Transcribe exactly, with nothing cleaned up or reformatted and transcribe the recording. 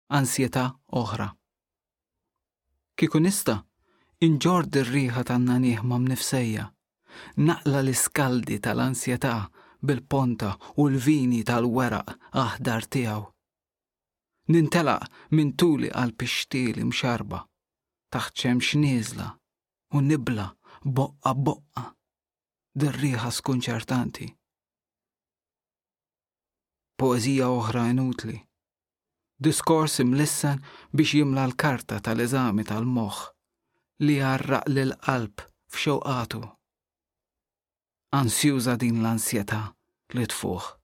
Ansjetà oħra. Kieku nista', inġorr ir-riħa tan-nagħniegħ ma' mnifsejja, naqla' l-iskaldi tal-ansjetà bil-ponta u l-vini tal-weraq aħdar tiegħu. Nintelaq minn tuli għal pixtili mxarba, taħt xemx nieżla u nibla' boqqa boqqa dir-riħa skunċertanti. Poeżija oħra inutli. Diskors imlissen biex jimla l-karta tal-eżami tal-moħħ li jgħarraq lill-qalb f'xewqatu. Ansjuża din l-ansjetà li tfuħ.